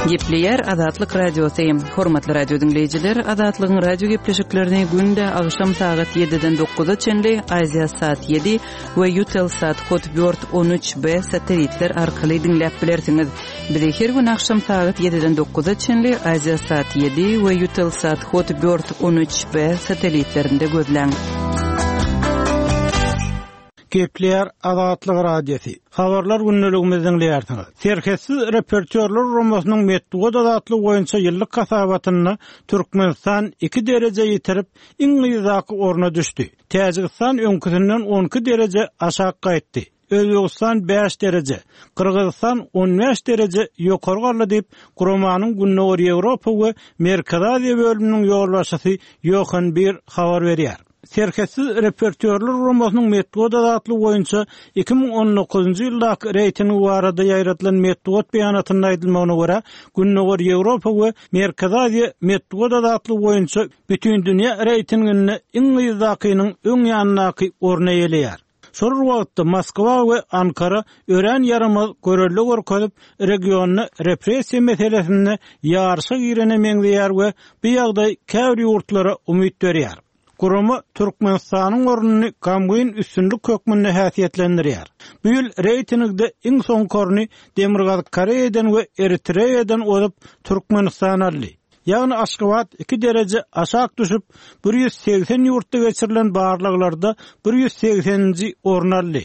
Gepleýär Azatlyk Radiosy. Hormatly radio diňleýjiler, Azatlygyň radio gepleşiklerini günde agşam sagat 7-den 9-a çenli Aziýa sat 7 we Eutelsat Hotbird 13B satelitler arkaly diňläp bilersiňiz. Bizi her gün agşam sagat 7-den 9-a çenli Aziýa sat 7 we Eutelsat Hotbird 13B satelitlerinde gözläň. Gepleýär Azatlyk Radiosy. Habarlar gündeligimizi diňleýärsiňiz. Serhetsiz reportýorlar guramasynyň metbugat azatlygy boýunça ýyllyk hasabatynda Türkmenistan iki dereje ýitirip, iň yzdaky orna düşdi. Täjigistan öňküsinden 12 dereje aşak gaýtdy. Özbegistan bäş dereje, Gyrgyzystan on bäş dereje ýokary galdy diýip, guramanyň Gündogar Ýewropa we Merkezi Aziýa bölüminiň ýolbaşçysy Ýohan Bir habar berýär. Serhetsiz reportýorlar guramasynyň metbugat azatlygy boýunça 2019-njy ýyldaky reýtingi barada ýaýradylan metbugat beýanatynda aýdylmagyna görä, Gündogar Ýewropa we Merkezi Aziýa metbugat azatlygy boýunça bütindünýä reýtinginde iň yzdakynyň öň ýanyndaky orny eýeleýär. Şol bir wagtda, Moskwa we Ankara örän ýaramaz görelde görkezip, regionda repressiýa meselesinde ýaryşa girene meňzeýär we bu ýagdaý käbir ýurtlara umyt berýär. Gurama Türkmenistanyň ornuny gamgyn üstünlik hökmünde häsiýetlendirýär. Bu ýyl reýtingde iň soňky orny Demirgazyk Koreýadan we Eritreýadan ozup, Türkmenistan aldy. Ýagny Aşgabat iki dereje aşak düşüp, 180 ýurtda geçirilen barlaglarda 180-nji orny aldy.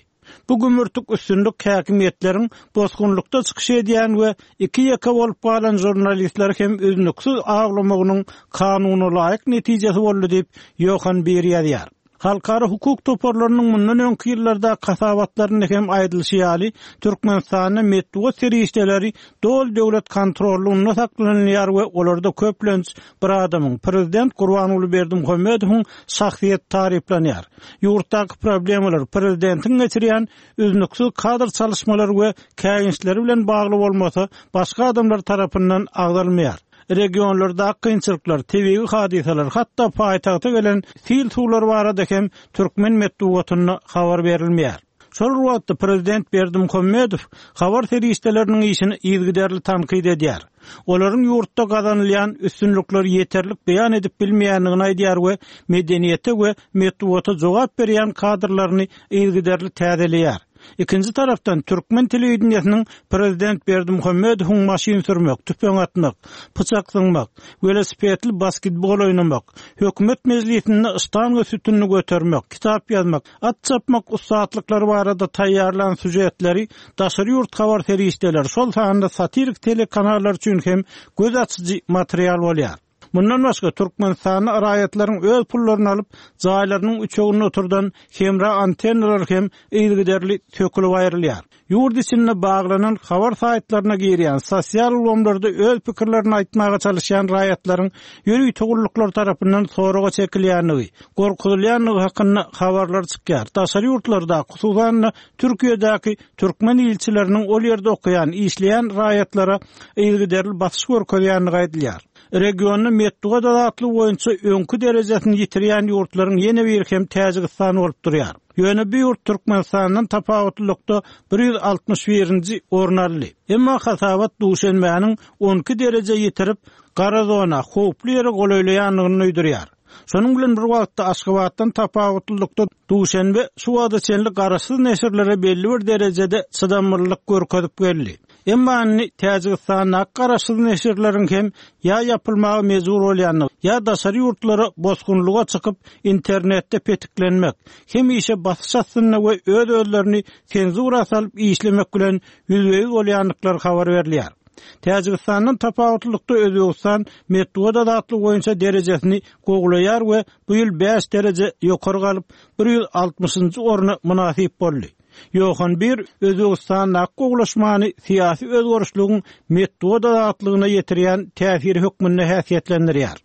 Bu gümürtik üstünlik häkimiýetleriň bosgunlykda çykyş edýän we iki-ýeke bolup galan žurnalistleri hem üznüksiz awlamagynyň kanunalaýyk netijesi boldy diýip, Ýohan Bir ýazýar. Halkara hukuk toparlarynyň mundan öňki ýyllardaky hasabatlarynda hem aýdylyşy ýaly, Türkmenistanda metbugat serişdeleri doly döwlet kontrollygynda saklanylýar we olarda köplenç bir adamyň, prezident Gurbanguly Berdimuhamedowyň şahsyýeti taryplanýar. Ýurtdaky problemalar prezidentiň geçirýän üznüksiz kadr çalyşmalary we käýinçleri bilen bagly bolmasa, başga adamlar tarapyndan agzalmaýar. Regionlardaky kynçylyklar, tebigy hadysalar, hatda paýtagta gelen sil suwlary barada hem türkmen metbugatynda habar berilmeýär. Şol bir wagtda, prezident Berdimuhamedow habar serişdeleriniň işini yzygiderli tankyt edýär. Olaryň ýurtda gazanylýan üstünlikleri ýeterlik beýan edip bilmeýändigini aýdýar we medeniýete we metbugata jogap berýän kadrlaryny yzygiderli täzeleýär. Ikinji tarapdan, türkmen telewideniýesiniň prezident Berdimuhamedowyň maşyn sürmek, tüpeň atmak, pyçak zyňmak, welosipedli basketbol oýnamak, hökümet mejlisinde ştanga sütünini götermek, kitap ýazmak, at çapmak ussatlyklary barada taýýarlan sýužetleri daşary ýurt habar serişdeleri, şol sanda satirik telekanallar üçin hem göz açyjy material bolýar. Mundan başga, Türkmenistanda raýatlaryň öz pullaryny alyp, jaýlarynyň üçeginde oturdan hemra antennalary hem yzygiderli sökülip aýrylýar. Ýurt içinde baglanan habar saýtlaryna girýän, sosial ulgamlarda öz pikirlerini aýtmaga çalyşýan raýatlaryň ýörite gulluklar tarapyndan soraga çekilýändigi, gorkuzylýandygy hakynda habarlar çykýar. Daşary ýurtlardaky, hususan-da, Türkiýedäki türkmen ilçileriniň ol ýerde okaýan, işleýän raýatlara yzygiderli basyş görkezýändigi aýdylýar. Regionda metbugat azatlygy boýunça öňki derejesini ýitirýän ýurtlaryň ýene biri hem Täjigistan bolup durýar. Ýöne bu ýurt Türkmenistandan tapawutlylykda 161-nji orun aldy. Emma hasabat Duşenbäniň on iki dereje ýitirip, gara zona, howply ýere golaýlaýandygyny duýdurýar. Şonuň bilen bir wagtda, Aşgabatdan tapawutlylykda Duşenbe şu wagta çenli garaşsyz neşirlere belli bir derejede çydamlylyk görkezip geldi. Emma indi Täjigistandaky garaşsyz neşirleriň hem ýa ýapylmaga mejbur bolýandygy, ýa daşary ýurtlara bosgunlyga çykyp, internetde petiklenmek, hemişe basyş astynda we öz-özlerini senzura salyp işlemek bilen ýüzbe-ýüz bolýandyklary habar berilýär. Täjigistandan tapawutlylykda Özbegistan metbugat azatlygy boýunça derejesini gowulaýar we bu ýyl bäş dereje ýokary galyp, 160-njy orna mynasyp boldy. Ýohan Bir Özbegistandaky gowulaşmany syýasy özgerişligiň metbugat azatlygyna ýetirýän täsiri hökmünde häsiýetlendirýär.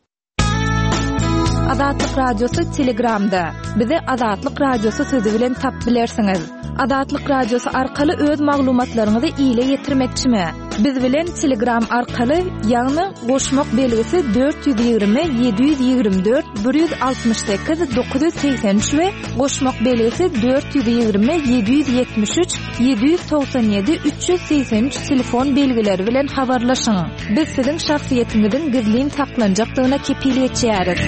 Azatlyk Radiosy Telegramda. Bizi Azatlyk Radiosy sözi bilen tap bilersiňiz. Azatlyk Radiosy arkaly öz maglumatlaryňyzy ile ýetirmekçimi? Biz bilen Telegram arkaly, ýagny goşmak belgisi 420 724 168 983 we goşmak belgisi 420 773 797 383 telefon belgileri bilen habarlaşyň. Biz siziň şahsyýetiňiziň gizlin saklanjakdygyna kepil geçýäris.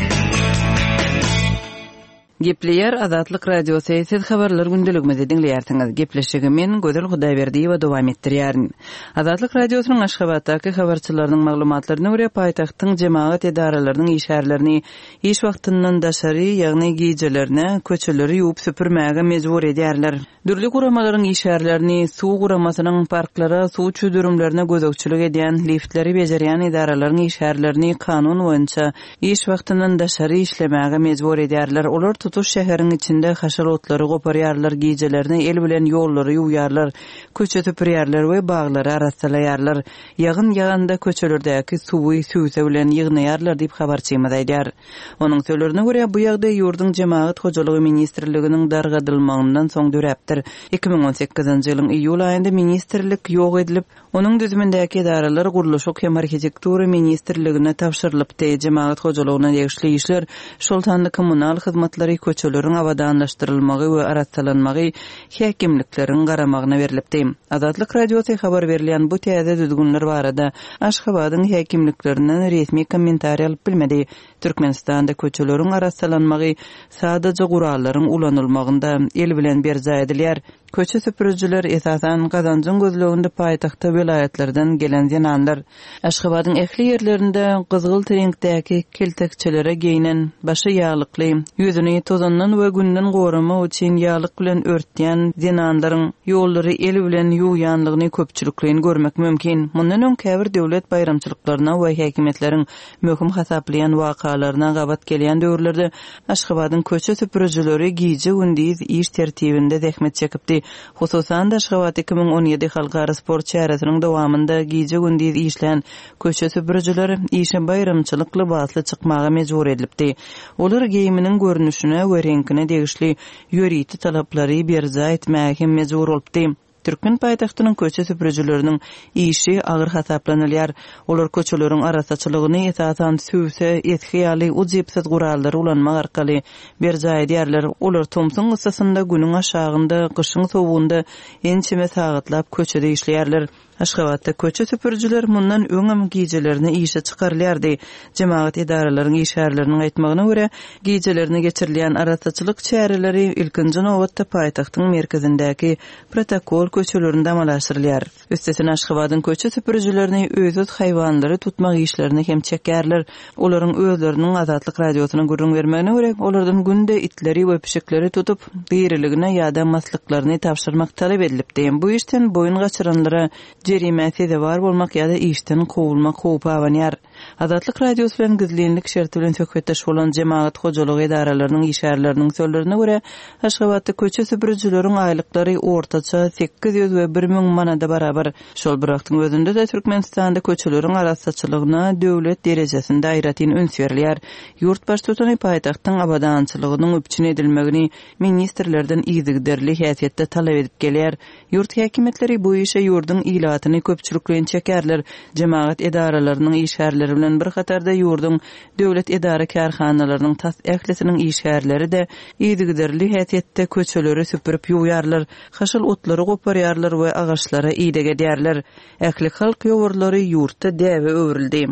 Gepleýär Azatlyk Radiosy, Siz Habarlar gündeligimizi diňleýärsiňiz. Gepleşigi men, Gözel Hudaýberdiýewa dowam etdirýärin. Azatlyk Radiosynyň Aşgabatdaky habarçylarynyň maglumatlaryna görä, paýtagtyň jemagat edaralarynyň işgärlerini iş wagtyndan daşary, ýagny gijelerine köçeleri ýuwup-süpürmäge mejbur edýärler. Dürli guramalaryň işgärlerini, suw guramasynyň parklara, suw çüwdürimlerine gözegçilik edýän, liftleri bejerýän edaralaryň işgärlerini kanun boýunça iş wagtyndan daşary işlemäge mejbur edýärler. Olar tutuş şäheriň içinde haşal otlary goparýarlar, gijelerine el bilen ýollary ýuwýarlar, köçe süpürýärler we baglary arassalaýarlar. Ýagyn ýaganda köçelerdäki suwy sübse bilen ýygnaýarlar diýip, habarçymyz aýdýar. Onuň sözlerine görä, bu ýagdaý ýurduň Jemagat hojalygy ministrliginiň dargadylmagyndan soň döräpdir. 2018-nji ýylyň iýul aýynda ministrlik ýok edilip, onuň düzümindäki edaralar Gurluşyk hem arhitektura ministrligine tabşyrylypdy. Jemagat hojalygyna degişli işler, şol sanda kommunal hyzmatlary, köçeleriň abadanlaşdyrylmagy we arassalanmagy häkimlikleriň garamagyna berlipdi. Azatlyk Radiosy habar berilýän bu täze düzgünler barada Aşgabadyň häkimliklerinden resmi kommentariý alyp bilmedi. Türkmenistanda köçeleriň arassalanmagy sadaja gurallaryň ulanylmagynda el bilen berjaý edilýär. Köçe süpürijiler, esasan, gazanjyň gözleginde paýtagta welaýatlardan gelen zenanlar. Aşgabadyň ähli ýerlerinde gyzgylt reňkdäki keltekçelere geýnen, başy ýaglykly, ýüzüni tozandan we günden goramak üçin ýaglyk bilen örtýän zenanlaryň ýollary el bilen ýuwýanlygyny köpçülikleýin görmek mümkin. Mundan öň käbir döwlet baýramçylyklaryna we häkimiýetleriň möhüm hasaplaýan wakalaryna gabat gelýän döwürlerde Aşgabadyň köçe süpürijileri gije-gündiz iş tertibinde zähmet çekipdi. Hususan-da, Aşgabat 2017 halkara sport çäresiniň dowamynda gije-gündiz işlän köçe süpürijiler işe baýramçylyk lybasly çykmaga mejbur edilipdi. Olar geýiminiň görnüşine we reňkine degişli ýörite talaplary berjaý etmäge hem mejbur bolupdy. Türkmen paýtagtynyň köçe süpürijileriniň işi agyr hasaplanylýar. Olar köçeleriň arassaçylygyny, esasan, sübse, esgi ýaly ujypsyz gurallary ulanmak arkaly berjaý edýärler. Olar tomsuň yssysynda, günüň aşagynda, gyşyň sowugynda ençeme sagatlap köçede işleýärler. Aşgabatda köçe süpürijiler mundan öňem gijelerine işe çykarylýardy. Jemagat edaralaryň işgärleriniň aýtmagyna görä, gijelerine geçirilýän arassaçylyk çäreleri ilkinji nobatda paýtagtyň merkezindäki protokol köçelerinde amala aşyrylýar. Üstesine Aşgabadyň köçe süpürijilerini öýsüz haýwanlary tutmak işlerine hem çekýärler. Olaryň özleriniň Azatlyk Radiosyna gürrüň bermegine görä, olardan günde itleri we pişikleri tutup, diriligine ýa-da maslyklaryny tabşyrmak talap edilipdi. Bu işden boýun gaçyranlara jerimä sezewar bolmak ýa-da işden kowulmak howpy abanýar. Azatlyk Radiosy bilen gizlinlik şerti bilen söhbetdeş bolan jemagat hojalygy edaralarynyň işgärleriniň sözlerine görä, Aşgabatda köçe süpürijileriň aýlyklary ortaça 800 we 1000 manada barabar. Şol bir wagtyň özünde-de Türkmenistanda köçeleriň arassaçylygyna döwlet derejesinde aýratyn üns berilýär. Ýurt baştutany paýtagtyň abadançylygynyň üpjün edilmegini ministrlerden yzygiderli häsiýetde talap edip gelýär. Ýurt häkimiýetleri bu işe ýurduň ilatyny köpçülikleýin çekerler. Jemagat edaralarynyň işgärleri bilen bir hatarda ýurduň döwlet edara-kärhanalarynyň tas ählisiniň işgärleri-de yzygiderli häsiýetde köçeleri süpürip ýuwýarlar, haşal otlary goparýarlar we agaçlara ideg edýärler. Ählihalk ýowarlary ýurtda däbe öwrüldi.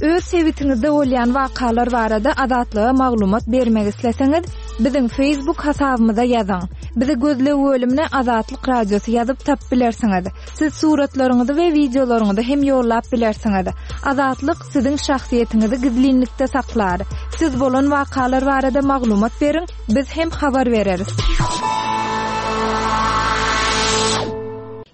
Öz sebitiňizde bolýan wakalar barada Azatlyga maglumat bermek isleseňiz, biziň Facebook hasabymyza ýazyň. Bizi gözleg bölümine Azatlyk Radiosy ýazyp tapyp bilersiňiz. Siz suratlaryňyzy we wideolaryňyzy hem ýollap bilersiňiz. Azatlyk siziň şahsyýetiňizi gizlinlikde saklar. Siz bolan wakalar barada maglumat beriň, biz hem habar bereris.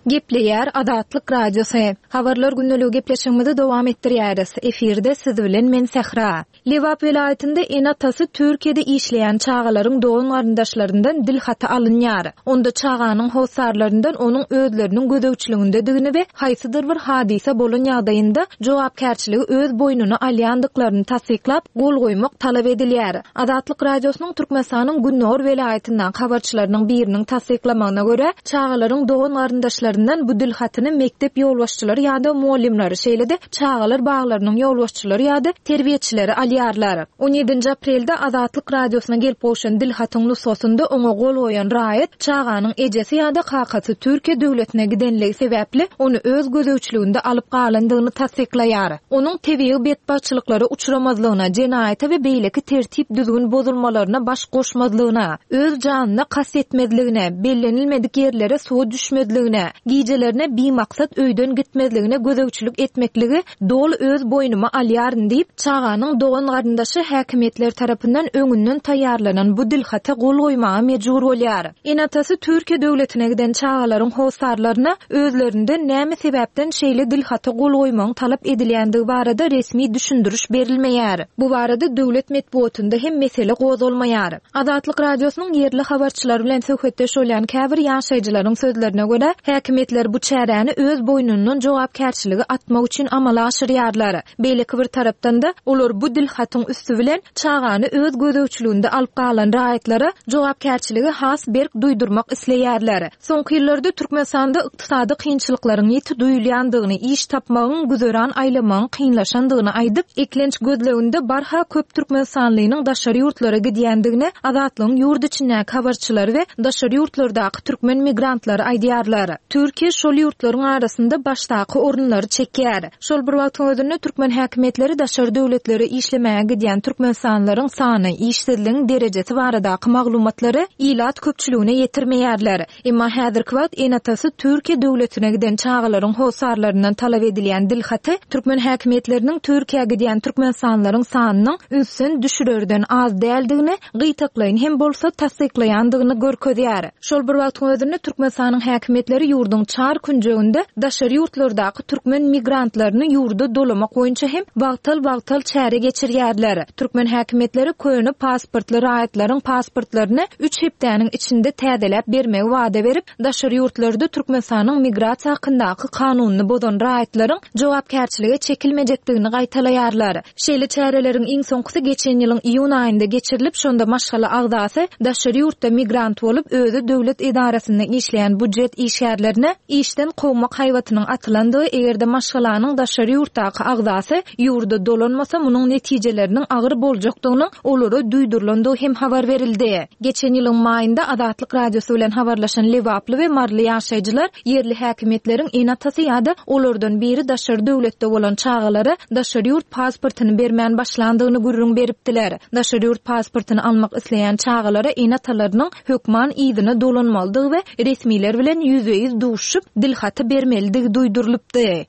Gepleýär Azatlyk Radiosy. Habarlar gündeligi gepleşigimizi dowam etdirýäris. Efirde siz bilen men Sähra. Lebap welaýatynda ene-atasy Türkiýede işleýän çagalaryň dogan-garyndaşlaryndan dil haty alynýar. Onda çaganyň hossarlaryndan onuň özleriniň gözegçiligindedigini we haýsydyr bir hadysa bolan ýagdaýynda jogapkärçiligi öz boýnuna alýandyklaryny tassyklap, gol goýmak talap edilýär. Azatlyk Radiosynyň Türkmenistanyň gündogar welaýatyndaky habarçylarynyň biriniň tassyklamagyna görä, çagalaryň dogan-garyndaşlaryndan bu dil hatyny mekdep ýolbaşçylary ýa-da mugallymlary, şeýle-de çagalar baglarynyň ýolbaşçylary ýa-da terbiýeçileri alýarlar. On ýedinji aprelde Azatlyk Radiosyna gelip gowşan dil hatyň nusgasynda oňa gol goýan raýat çaganyň ejesi ýa-da kakasy Türkiýe döwletine gidenligi sebäpli ony öz gözegçiliginde alyp galandygyny tassyklaýar. Onuň tebigy betbagtçylyklara uçramazlygyna, jenaýata we beýleki tertip-düzgün bozulmalaryna baş goşmazlygyna, öz janyna kast etmezligine, bellenilmedik ýerlere suwa düşmezligine, gijelerine bimaksat öýden gitmezligine gözegçilik etmekligi doly öz boýnuma alýaryn diýip, çaganyň dogan-garyndaşy häkimiýetler tarapyndan öňünden taýýarlanan bu dilhata gol goýmaga mejbur bolýar. Ene-atasy Türkiýe döwletine giden çagalaryň hossarlaryna özlerinden näme sebäpden şeýle dilhata gol goýmagyň talap edilýändigi barada resmi düşündiriş berilmeýär. Bu barada döwlet metbugatynda hem mesele gozgalmaýar. Azatlyk Radiosynyň ýerli habarçylary bilen söhbetdeş bolýan käbir ýaşaýjylaryň sözlerine görä, häkimiýetler bu çäräni öz boýnundan jogapkärçiligi atmak üçin amala aşyrýarlar. Beýleki bir tarapdan-da, olar bu dilhatyň üsti bilen çagany öz gözegçiliginde alyp galan raýatlara jogapkärçiligi has berk duýdurmak isleýärler. Soňky ýyllarda Türkmenistanda ykdysady kynçylyklaryň ýiti duýulýandygyny, iş tapmagyň, güzeran aýlamagyň kynlaşandygyny aýdyp, eklenç gözleginde barha köp türkmenistanlynyň daşary ýurtlara gidýändigini Azatlygyň ýurt içindäki habarçylary we daşary ýurtlardaky türkmen migrantlary aýdýarlar. Türkiýe şol ýurtlaryň arasynda başdaky orunlary çekýär. Şol bir wagtyň özünde türkmen häkimiýetleri daşary döwletlere işlemäge gidýän türkmenistanlylaryň sany, işsizligiň derejesi baradaky maglumatlary ilat köpçüligine ýetirmeýärler. Emma häzirki wagt ene-atasy Türkiýe döwletine giden çagalaryň hossarlaryndan talap edilýän dilhaty türkmen häkimiýetleriniň Türkiýä gidýän türkmenistanlylaryň sanynyň ünsden düşürerden az däldigini gytaklaýyn hem bolsa tassyklaýandygyny görkezýär. Şol bir wagtyň özünde Türkmenistanyň häkimiýetleri ýurduň çar künjeginde daşary ýurtlardaky türkmen migrantlaryny ýurda dolamak boýunça hem wagtal-wagtal çäre geçirýärler. Türkmen häkimiýetleri köne pasportly raýatlaryň pasportlaryny üç hepdäniň içinde täzeläp bermegi wada berip, daşary ýurtlarda Türkmenistanyň migrasiýa hakyndaky kanunyny bozan raýatlaryň jogapkärçilige çekilmejekdigini gaýtalaýarlar. Şeýle çäreleriň iň soňkusy geçen ýylyň iýun aýynda geçirilip, şonda maşgala agzasy daşary ýurtda migrant bolup, özi döwlet edarasynda işleýän budjet işgärlerine işden kowmak haýbatynyň atylandygy, eger-de maşgalanyň daşary ýurtdaky agzasy ýurda dolanmasa, munuň netijeleriniň agyr boljakdygynyň olara duýdurylandygy hem habar berildi. Geçen ýylyň maýynda Azatlyk Radiosy bilen habarlaşan lebaply we maryly ýaşaýjylar Ýerli häkimiýetleriň ene-atasy ýa-da olardan biri daşary döwletde bolan çagalara daşary ýurt pasportyny bermän başlandygyny gürrüň beripdiler. Daşary ýurt pasportyny almak isleýän çagalara ene-atalarynyň hökman yzyna dolanmalydygy we resmiler bilen ýüzbe-ýüz duşuşyp, dilhaty bermelidigi duýdurylypdy.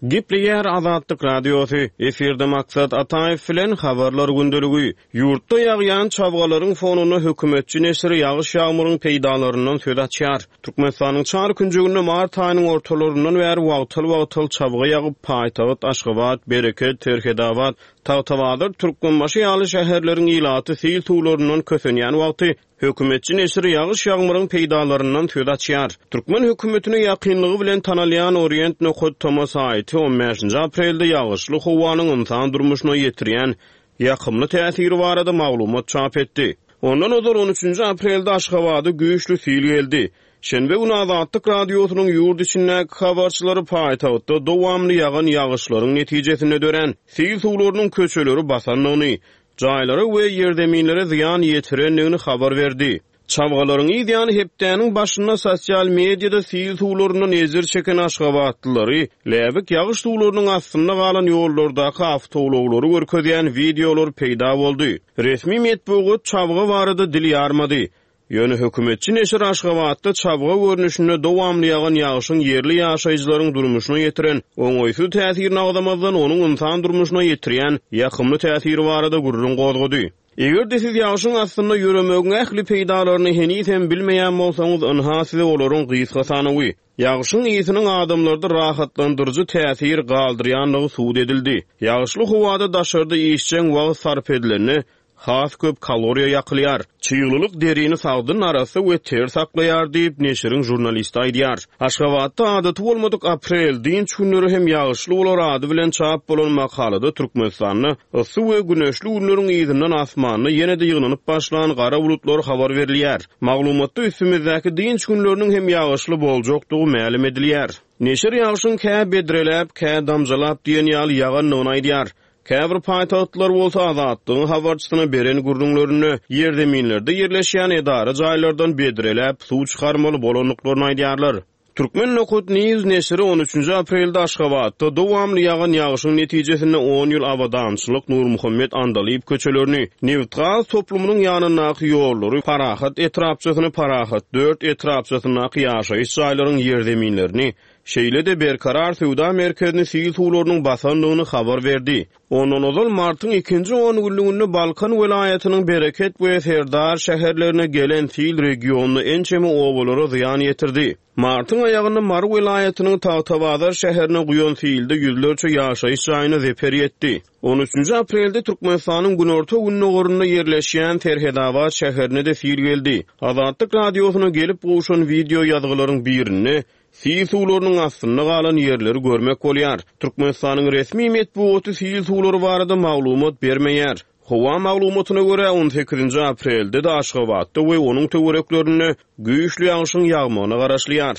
Gepleýär Azatlyk Radiosy, Efirde Maksat Ataýew bilen Habarlar gündeligi. Ýurtda ýagýan çabgalaryň fonunda hökümetçi neşiri ýagyş-ýagmyryň peýdalaryndan söz açýar. Türkmenistanyň çar künjeginde mart aýynyň ortalaryndan bäri wagtal-wagtal çabga ýagyp, paýtagt Aşgabat, Bereket, Serhedabat, Tagtabazar, Türkmenbaşy ýaly şäherleriň ilaty sil suwlaryndan kösenýän wagty, hökümetçi neşiri ýagyş-ýagmyryň peýdalaryndan söz açýar. Türkmen hökümetine ýakynlygy bilen tanalýan Orient nokat toma saýty on bäşinji aprelde ýagyşly howanyň ynsan durmuşyna ýetirýän ýakymly täsiri barada maglumat çap etdi. Ondan ozal on üçünji aprelde Aşgabada güýçli sil geldi. Şenbe güni Azatlyk Radiosynyň ýurt içindäki habarçylary paýtagtda dowamly ýagan ýagyşlaryň netijesinde dörän sil suwlarynyň köçeleri basandygyny, jaýlara we ýerzeminlere zyýan ýetirendigini habar berdi. Çabgalaryň yz ýany hepdäniň başynda sosial mediada sil suwlaryndan ejir çeken aşgabatlylary, läbik ýagyş suwlarynyň astynda galan ýollardaky awtoulaglary görkezýän wideolar peýda boldy. Resmi metbugat çabga barada dil ýarmady. Ýöne hökümetçi neşir Aşgabatda çabga görnüşinde dowamly ýagan ýagşyň ýerli ýaşaýjylaryň durmuşyna ýetiren oňaýsyz täsirini agzamazdan, onuň ynsan durmuşyna ýetirýän ýakymly täsiri barada gürrüň gozgady. Eger-de siz ýagşyň astynda ýöremegiň ähli peýdalaryny henizem bilmeýän bolsaňyz, ynha size olaryň gysga sanawy. Ýagşyň ysynyň adamlarda rahatlandyryjy täsir galdyrýandygy subut edildi. Ýagyşly howada daşarda işjeň wagt sarp edilende, has köp kaloriýa ýakylýar. Çyglylyk derini sagdyn, arassa we ter saklaýar diýip, neşiriň žurnalisti aýdýar. Aşgabatda adaty bolmadyk aprel dynç günleri hem ýagyşly bolar ady bilen çap bolan makalada Türkmenistanda yssy we güneşli günleriň yzyndan asmanda ýene-de ýygnanyp başlan gara bulutlar habar berilýär. Maglumatda üstümizdäki dynç günleriniň hem ýagyşly boljakdygy mälim edilýär. Neşir ýagşyň kä bedreläp, kä damjalap diýen ýaly ýagandygyny aýdýar. Käbir paýtagtlylar bolsa Azatlygyň habarçysyna beren gürrüňlerinde ýerzeminlerde ýerleşýän edara jaýlardan bedreläp suw çykarmaly bolandyklaryny aýdýarlar. Turkmen nokat news neşiri on üçünji aprelde Aşgabatda dowamly ýagan ýagyşyň netijesinde on ýyl Abadançylyk, Nurmuhammet Andalyp köçelerini, nebitgaz toplumynyň ýanyndaky ýollary, Parahat etrapçasyny, Parahat dört etrapçasyndaky ýaşaýyş jaýlaryň ýerzeminlerini, Şeýle-de Berkarar söwda merkezini sil suwlarynyň basandygyny habar berdi. Ondan ozal martyň ikinji ongünlüginde Balkan welaýatynyň Bereket we Serdar şäherlerine gelen sil regionda ençeme obalara zyýan ýetirdi. Martyň aýagynda Mary welaýatynyň Tagtabazar şäherine guýan silde ýüzlerçe ýaşaýyş jaýyna zeper ýetdi. On üçünji aprelde Türkmenistanyň günorta-gündogarynda ýerleşýän Serhedabat şäherine-de sil geldi. Azatlyk Radiosyna gelip gowşan wideo ýazgylaryň birinde Sil suwlarynyň astynda galan ýerleri görmek bolýar. Türkmenistanyň resmi metbugaty sil suwlary barada maglumat bermeýär. Howa maglumatyna görä, on sekizinji aprelde-de Aşgabatda we onuň töwereklerinde güýçli ýagşyň ýagmagyna garaşylýar.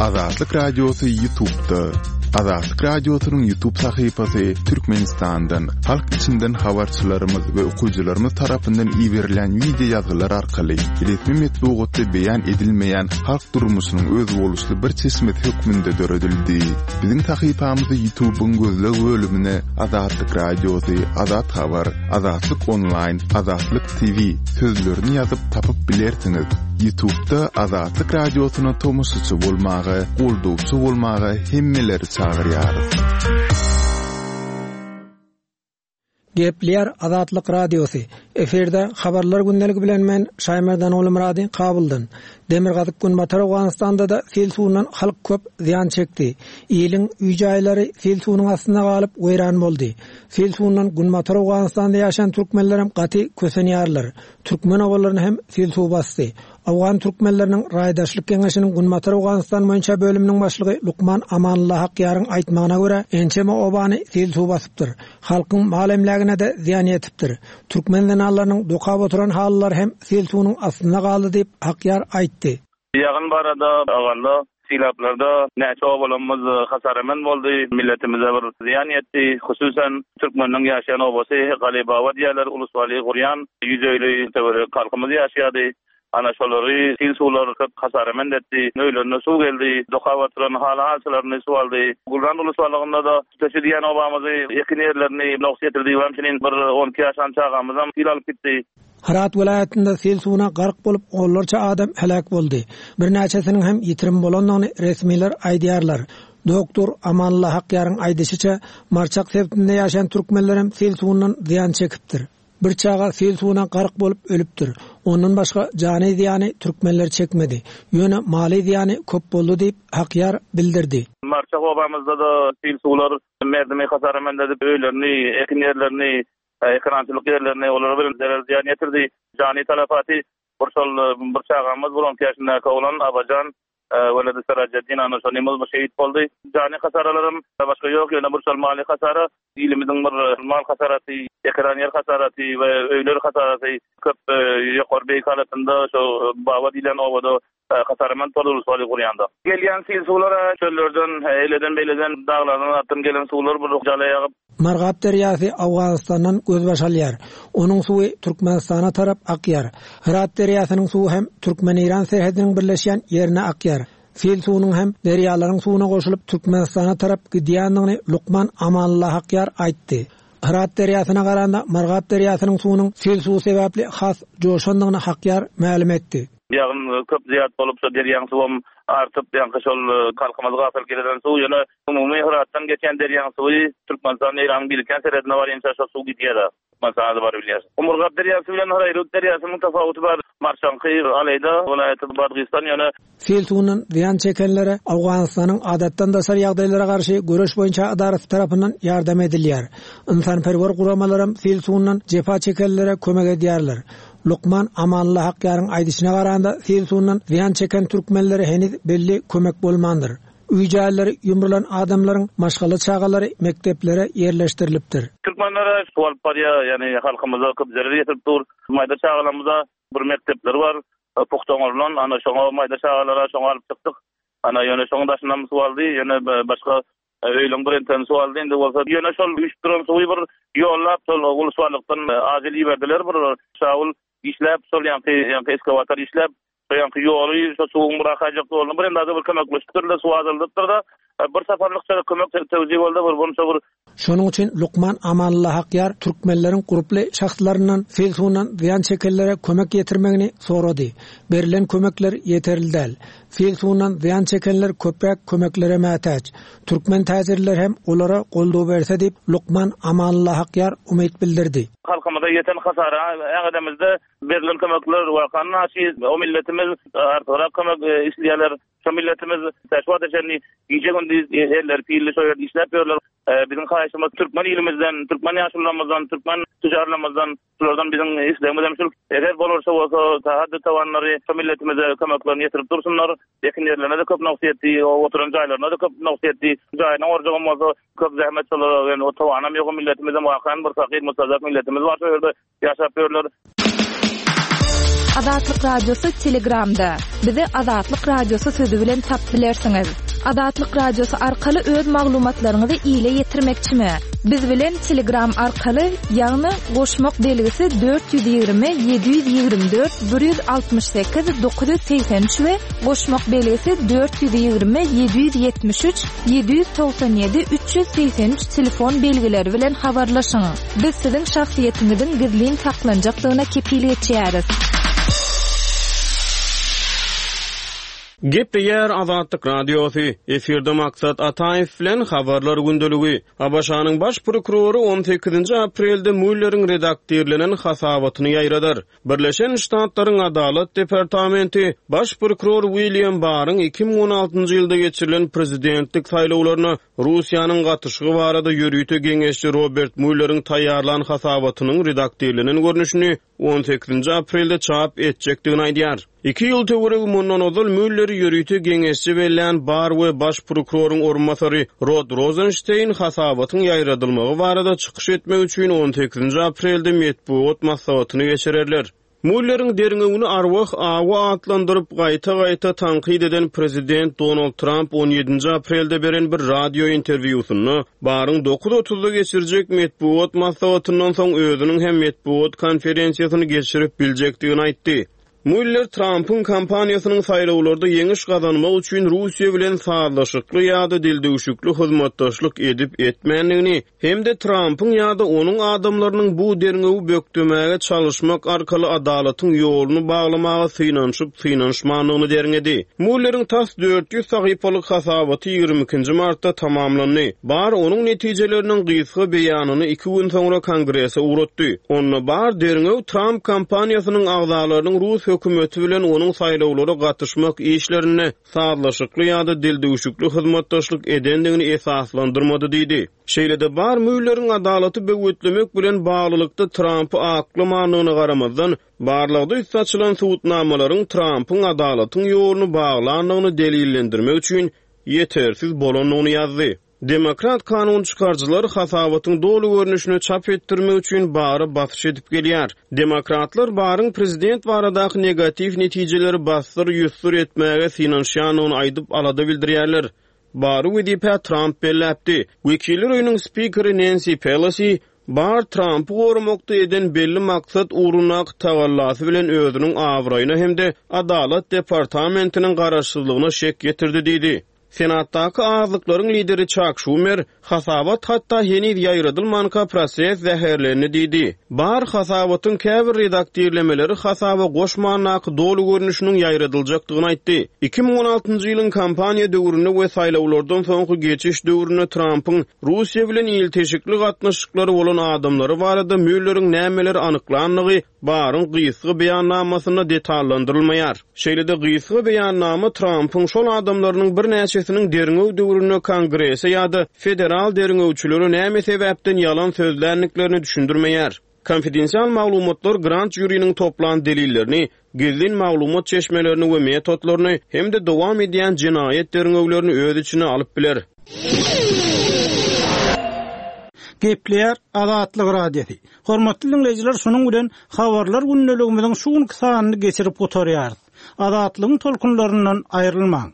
Azatlyk Radiosy Ýutubda. Azatlyk Radiosynyň Ýutub sahypasy Türkmenistandan, halk içinden habarçylarymyz we okyjylarymyz tarapyndan iberilýän wideo ýazgylar arkaly resmi metbugatda beýan edilmeýän halk durmuşynyň özboluşly bir çeşmesi hökmünde döredildi. Biziň sahypamyzy Ýutubyň gözleg bölümine Azatlyk Radiosy, Azat Habar, Azatlyk Onlaýn, Azatlyk TV sözlerini ýazyp tapyp bilersiňiz. Ýutubda Azatlyk Radiosyna tomaşaçy bolmaga, goldawçy bolmaga hemmeleri çagyrýarys. Gepleýär Azatlyk Radiosy. Efirde Habarlar gündeligi bilen men Şaýmerdan Ogulmyrady Kabuldan. Demirgazyk-Günbatar Owganystanda-da sil suwundan halk köp zyýan çekdi. Iliň öý-jaýlary sil suwunyň astynda galyp weýran boldy. Sil suwundan Günbatar Owganystanda ýaşaýan türkmenlerem gaty kösenýärler. Türkmen obalaryny hem sil suw basdy. Owgan türkmenleriniň Raýdaşlyk geňeşiniň Günbatar Owganystan boýunça bölüminiň başlygy lukman Amanullah Hakýaryň aýtmagyna görä, ençeme obany sil suw basypdyr. Halkyň mal-emlägine-de zyýan ýetipdir. Türkmen zenanlarynyň dokap oturan halylary hem sil suwunyň astynda galdy diýip, Hakýar aýtdy. Ýagyn barada aganda Sylaplarda näçe obalarymyz hasaramen boldy, milletimize bir zyýan ýetdi. Hususan, türkmeniniň ýaşaýan obasy Galybaba diýýärler, Ulusbaly gurýan 150 töweregi halkymyz ýaşaýardy. Ana şolary sil suwlar köp hasarament etdi. Öýlerine suw geldi, dokap oturan haly-halçalaryny suw aldy. Gulran Ulusbalygynda-da Tüteşi diýen obamyzy, ekin ýerlerini noks ýetirdi. Hemçinin bir on iki ýaşan çagamyzam sil alyp gitdi. Hyrat welaýatynda sil suwuna gark bolup onlarça adam heläk boldy. Birnäçesiniň hem ýitirim bolandygyny resmiler aýdýarlar. Doktor Amanullah Hakýaryň aýdyşyça, Marçak sebitinde ýaşaýan türkmenlerem sil suwundan zyýan çekipdir. Bir çaga sil suwuna gark bolup ölüpdir. Ondan başga jany zyýany türkmenler çekmedi. Ýöne maly zyýany köp boldy diýip, Hakýar bildirdi. Marçak obamyzda-da sil suwlar merdimi hasara edip, öýlerini, ekin ýerlerini Ekerançylyk ýerlerine olara bir zerer zyýan ýetirdi. Jany talafaty bir şol bir çagamyz bir on iki ýaşyndaky oglan Abajan weledi Serajeddin ana şonymyz bir şehit boldy. Jany hasaralaram başga ýok ýöne bir şol maly hasara ilimiziň bir mal hasaraty, ekeran ýer hasaraty we öýler hasaraty köp ýokary beýik halatynda şo Baba diýlen obada hasaraman tol ulus-waly gurýanda. Gelýän sil suwlar çöllerden, eýleden-beýleden, daglardan zatdan gelen suwlar bir jala ýagyp. Murgap derýasy Owganystandan gözbaş alýar. Onuň suwy Türkmenistana tarap akýar. Hyrat derýasynyň suwy hem türkmen-eýran serhediniň birleşýän ýerine akýar. Sil suwunyň hem derýalaryň suwuna goşulyp Türkmenistana tarap gidýändigini lukman Amanullah Hakýar aýtdy. Hyrat derýasyna garanda Murgap derýasynyň suwunyň sil suwy sebäpli has joşandygyny Hakýar mälim etdi. Ýagyn köp zyýat bolup şo derýaň suwam. artyp, ýaňky şol halkymyzy gapyl gelen suw ýöne umumy Hyratdan geçýän derýaň suwy Türkmenistan Eýranyň birikýän serhedine barýança şo suw gidýär-de. Türkmenistana-da baryp bilýär. Murgap derýasy bilen Haraýrut derýasynyň tapawudy bar. Marşaňky Aleýda welaýaty Badgystan ýöne. Sil suwundan zyýan çekenlere Owganystanyň Adatdan daşary ýagdaýlara garşy göreş boýunça edarasy tarapyndan ýardam edilýär. Ynsanperwer guramalaram sil suwundan jepa çekenlere kömek edýärler. Lukman Amanullah Hakýaryň aýdyşyna garanda, sil suwundan zyýan çeken türkmenlere heniz belli kömek bolmandyr. Öý-jaýlary ýumrulan adamlaryň maşgala çagalary mekdeplere ýerleşdirilipdir. Türkmenlere suw alyp barýar, ýagny halkymyza köp zerer ýetirip dur. Maýda çagalarymyza bir mekdepleri bar, pugta oňarylan, ana şoňa maýda çagalara şoňa alyp çykdyk. Ana ýöne şoň daşyndan suw aldy, ýöne başga öýleň bir entegini suw aldy, indi bolsa ýöne şol üýşüp duran suwy bir ýollap şol ulusbarlykdan ajil iberdiler bir şawul işläp şol ýaňky ýaňky eskawator işläp Şo ýaňky ýoly, şo suwuň bir akaýjak ýoluny bir endada bir kömekleşipdirler, suw azaldypdyr-da. Bir saparlykça kömek tewzi boldy, bir bunça bir. Şonuň üçin lukman Amanullah Hakýar türkmenleriň gurply şahslaryndan sil suwundan zyýan çekenlere kömek ýetirmegini sorady. Berlen kömekler ýeterli däl. Sil suwundan zyýan çekenler köpräk kömeklere mätäç. Türkmen täjirleri hem olara goldaw berse diýip, lukman Amanullah Hakýar umyt bildirdi. Halkymyza ýeten hasara äňedemizde Berlen kömekler wakanyň aşy o milletimiz artygrak kömek isleýärler. Şo milletimiz tä şu wagta çenli gije-gündiz elleri pilli şo ýerde işläp ýörler. Biziň haýyşymyz türkmen ilimizden, türkmen ýaşulularymyzdan, türkmen tüjarlarymyzdan şulardan biziň islegimiz hem şul. Eger bolarsa bolsa haddy-tawanlary şo milletimize kömeklerini ýetirip dursunlar. Ekin ýerlerine-de köp noks ýetdi, oturan jaýlaryna-da köp noks ýetdi. Jaýyny gurjagam bolsa köp zähmet şolara, ýöne o tawanam ýok o milletimizem wakan bir fakyr mustazaf milletimiz bar şo ýerde. Ýaşap ýörler. Azatlyk Radiosy Telegramda. Bizi Azatlyk Radiosy sözi bilen tap bilersiňiz. Azatlyk Radiosy arkaly öz maglumatlaryňyzy ile ýetirmekçimi? Biz bilen Telegram arkaly, ýagny goşmak belgisi 420 724 168 983 we goşmak belgisi 420 773 797 383 telefon belgileri bilen habarlaşyň. Biz siziň şahsyýetiňiziň gizlin saklanjakdygyna kepil geçýäris. Gepleýär Azatlyk Radiosy, Efirde Maksat Ataýew bilen Habarlar gündeligi. ABŞ-nyň Baş prokurory on sekizinji aprelde Mulleriň redaktirlenen hasabatyny ýaýradar. Birleşen Ştatlaryň Adalat departamenti Baş prokuror William Barryň 2016-njy ýylda geçirilen prezidentlik saýlawlaryna Russiýanyň gatyşygy barada ýörite geňeşçi Robert Mulleriň taýýarlan hasabatynyň redaktirlenen görnüşini on sekizinji aprelde çap etjekdigini aýdýar. Iki ýyl töweregi mundan ozal Mülleri ýörite geňeşçi bellän Barr we baş prokuroryň orunbasary Rod Rozenşteýn hasabatyň ýaýradylmagy barada çykyş etmek üçin on sekizinji aprelde metbugat maslahatyny geçirerler. Mulleriň derňewini arwah awy atlandyryp, gaýta-gaýta tankyt eden prezident Donald Tramp on ýedinji aprelde beren bir radio interwýusynda Barryň dokuz otuzda geçirjek metbugat maslahatyndan soň özüniň hem metbugat konferensiýasyny geçirip biljekdigini aýtdy. Muller Trampyň kampaniýasynyň saýlawlarda ýeňiş gazanmak üçin Russiýa bilen sazlaşykly ýa-da dildüwşükli hyzmatdaşlyk edip-etmändigini hem-de Trampyň ýa-da onuň adamlarynyň bu derňewi bökdemäge çalyşmak arkaly adalatyň ýoluny baglamaga synanyşyp-synanyşmandygyny derňedi. Mulleriň tas 400 sahypalyk hasabaty 22-nji martda tamamlandy. Barr onuň netijeleriniň gysga beýanyny iki gün soňra Kongrese ugratdy. Onda Barr derňew Tramp kampaniýasynyň agzalarynyň rus hökümeti bilen onuň saýlawlara gatyşmak işlerinde sazlaşykly ýa-da dildüwşükli hyzmatdaşlyk edendigini esaslandyrmady diýdi. Şeýle-de Barr Mulleriň adalaty böwetlemek bilen baglylykda Trampy aklamandygyna garamazdan, Barlagda üsti açylan subutnamalaryň Trampyň adalatyň ýoluny baglandygyny delillendirmek üçin ýetersiz bolandygyny ýazdy. Demokrat kanun çykaryjylar hasabatyň doly görnüşini çap etdirmek üçin Barra basyş edip gelýär. Demokratlar Barryň prezident baradaky negatiw netijeleri bassyr-ýussur etmäge synanyşýandygyny aýdyp alada bildirýärler. Barry wezipä Tramp belläpdi. Wekiller öýüniň spikeri Nensi Pelosi Barr Trampy goramakda eden belli maksat ugrundaky tagallasy bilen özüniň abraýyna hem-de Adalat departamentiniň garaşsyzlygyna şek ýetirdi diýdi. Senatdaky azlyklaryň lideri Çak Şumer, Hasabat hatda heniz ýaýradylmanka proses zäherlendi diýdi. Barr hasabatyň käbir redaktirlemeleri hasaba goşmandaky doly görnüşiniň ýaýradyljakdygyny aýtdy. 2016-njy ýylyň kampaniýa döwründe we saýlawlardan soňky geçiş döwründe Trampyň Russiýa bilen ilteşikli gatnaşyklary bolan adamlary barada Mülleriň nämeleri anyklandygy Barryň gysga beýannamasynda detallandyrylmaýar. Şeýle-de gysga beýannama Trampyň şol adamlarynyň birnäçesiniň derňew döwründe Kongrese ýa-da federal derňewçilere näme sebäpden ýalan sözländiklerini düşündirmeýär. Konfidensial maglumatlar grand žuriniň toplan delillerini, gizlin maglumat çeşmelerini we metodlaryny hem-de dowam edýän jenaýat derňewlerini öz içine alyp biler. Gepleýär Azatlyk Radiosy. Hormatly diňleýjiler, şunuň bilen Habarlar gündeligimiziň şu günki sanyny geçirip gutarýarys. Azatlygyň tolkunlaryndan aýrylmaň!